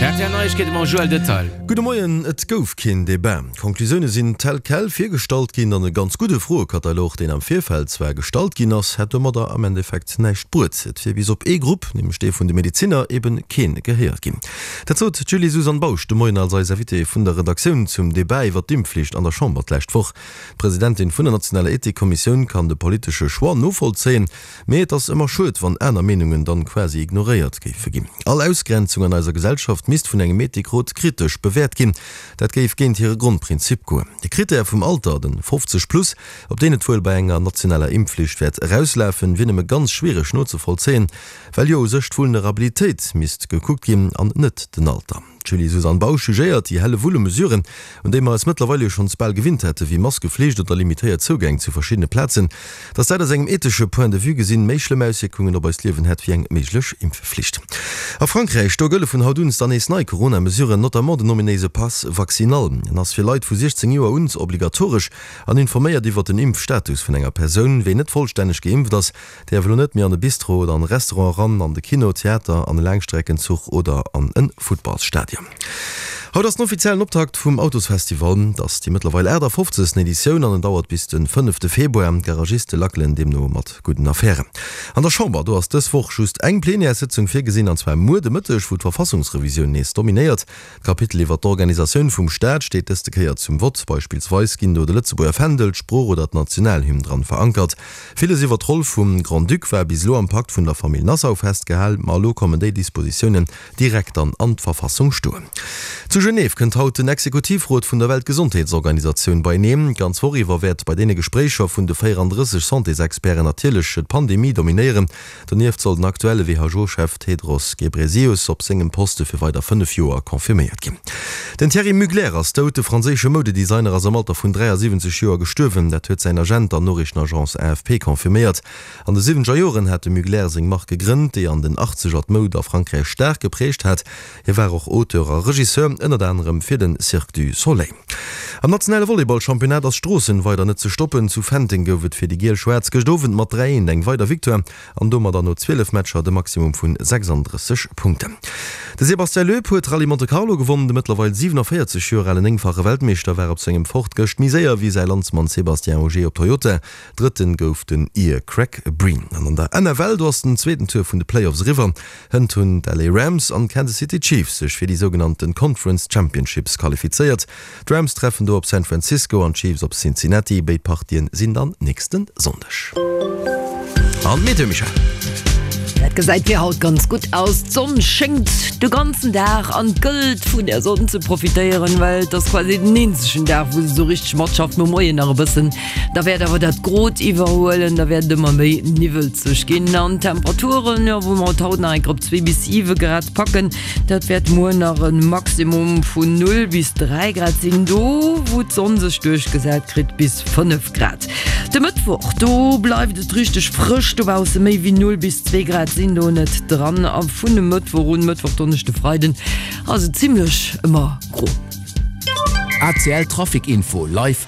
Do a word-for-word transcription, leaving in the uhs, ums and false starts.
R T L Neiegkeete mam Joël Detail. Gudde Moien, et gouf keen Debat. D'Conclusioune sinn tel quel virgestallt ginn an e ganz gudde Froekatalog, deen am Virfeld zwar gestallt ginn ass, hätt domadder am Endeffekt näischt bruet. Et wier bis op ee Grupp, nämlech dee vun de Medezinner, eben keen gehéiert ginn. Dat sot d'Julie-Suzanne Bausch de Moien als eis Invitée vun der Redaktioun zum Debat iwwer d'Impfflicht an der Chamber d'lescht Woch. D'Presidentin vun der nationaler Ethikkommissioun kann de politesche Choix novollzéien, mee et ass ëmmer schued, wann aner Meenungen dann quasi ignoréiert géife ginn. All Ausgrenzung an eiser Gesellschaft misst vun engem Ethikrot kritesch bewäert ginn. Dat géif géint hire Grondprinzip goen. De Krittär vum Alter, den fofzeg plus, op deen et wuel bei enger nationaler Impfflicht wäert erauslafen, wier nëmme ganz schwiereg nozevollzéien, well jo u sech d'Vulnerabilitéit misst gekuckt ginn an net den Alter. D'Julie-Suzanne Bausch jugéiert déi helle Wull u Mesuren, un déi mer eis mëttlerweil jo schonns bal gewinnt hätten, wéi Maskeflicht oder limitéiert Zougäng zu verschiddene Plazen, dass dat aus engem ethesche Point de vue gesinn méi schlëmm Auswierkungen op eist Liewen hätt wéi eng méiglech Impfflicht. A Frankräich, do gëlle vun haut un dann nees nei Corona-Mesuren, notamment den ominéise Pass vaccinal. En ass fir Leit vu siechzéng Joer un obligatoresch an informéiert iwwer den Impfstatus vun enger Persoun. Ween net vollstänneg geimpft ass, däerf elo net méi an e Bistro oder an e Restaurant eran, an de Kino, Theater, an e Laangstreckenzuch oder an e Futtballsstadion. Haut ass den offiziellen Optakt vum Autosfestival. Et ass déi mëttlerweil aachtafofzegsten Editioun an en dauert bis de fënnefte Februar. D'Garagiste lackelen deemno mat gudden Affären. An der Chamber, do ass dës Woch just eng Plenièressëtzung virgesinn, an zwar muer de Mëtteg, wou d'Verfassungsrevisioun nees dominéiert. D'Kapitel iwwer d'Organisatioun vum Staat steet dëste Kéier zum Vott. Beispillsweis ginn do de Lëtzebuerger Fändel, d'Sprooch oder d'Nationalhymn dran verankert. Villes iwwer d'Roll vum Grand-Duc war bis elo am Pakt vun der Famill Nassau festgehal, ma elo kommen déi Dispositiounen direkt dann an d'Verfassung stoen. Zu Genève kënnt haut den Exekutivrot vun der Weltgesondheetsorganisatioun beieneen. D'ganz Woch iwwer wäert bei deene Gespréicher vun de véierandrësseg Santésexperten natierlech d'Pandemie dominéieren. Donieft soll den aktuelle W H O-Chef Tedros Ghebreyesus op sengem Poste fir weider fënnef Joer confirméiert ginn. Den Thierry Mugler ass dout. De franséische Moudedesigner ass am Alter vun dräiasiwwenzeg Joer gestuerwen. Dat huet säin Agent der Noriichtenagence A F P confirméiert. An de siwwenzeger Joren hat de Mugler seng Mark gegrënnt, déi an den Achtzeger d'Moud a Frankräich staark gepräägt hat. Hie war och Auteur a Regisseur, ënnert anerem fir den Cirque du Soleil. Am nationale Volleyball-Championnat ass Stroossen weider net ze stoppen. Zu Fenteng gouf et fir déi Giel-Schwaarz gëscht Owend mat dräi eent eng weider Victoire an domadder no zwielef Matcher de Maximum vun sechsanddrësseg Punkten. De Sébastien Loeb huet d'Rallye Monte Carlo gewonnen. De mëttlerweil siwenavéierzeg Joer alen néngfache Weltmeeschter war op sengem Ford gëscht méi séier wéi säi Landsmann Sébastien Ogier op Toyota. Drëtten gouf den Ier Craig Breen. An an der N F L, do ass den zweeten Tour vun de Playoffs eriwwer. Hënt hunn d'L A Rams an d'Kansas City Chiefs sech fir déi sougenannten Conference Championships qualifizéiert. D'Rams treffen do op San Francisco an d'Chiefs op Cincinnati. Béid Partien sinn dann nächste Sonndeg. An d'Meteo, Michèle. Dat gesäit fir haut ganz gutt aus. D'Sonn schéngt de ganzen Dag an et gëllt vun der Sonn ze profitéieren, well et ass quasi den eenzegen Dag, wou se sou richteg matschafft. Nom Moien nach e bëssen, da wäert awer dat Grot iwwerhuelen, da wäert et ëmmer méi niwwelzeg ginn. An d'Temperaturen, jo, wou mer et haut nach eng Kéier op zwee bis siwe Grad packen, dat wäert muer nach e Maximum vun null bis dräi Grad sinn, do wou d'Sonn sech duerchgesat kritt bis fënnef Grad. De Mëttwoch, do bleift et richteg frësch dobausse, méi wéi null bis zwee Grad sinn do net dran a vun e Mëttwoch un, Mëttwoch, Donneschde, Freiden ass et zimlech ëmmer gro. A C L Trafic Info live.